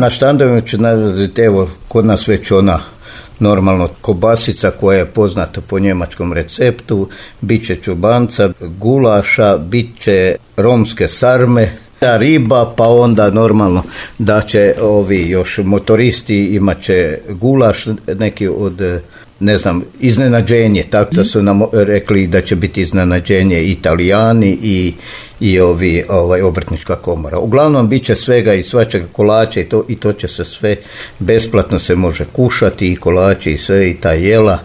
Na štandovima ću navesti, evo, kod nas već ona normalno kobasica koja je poznata po njemačkom receptu, bit će čubanca, gulaša, bit će romske sarme, riba, pa onda normalno da će ovi još motoristi imat će gulaš, neki od, ne znam, iznenađenje, tako da su nam rekli da će biti iznenađenje Italijani i obrtnička komora. Uglavnom bit će svega i svačega, kolača i to će se sve besplatno se može kušati, i kolači i sve i ta jela.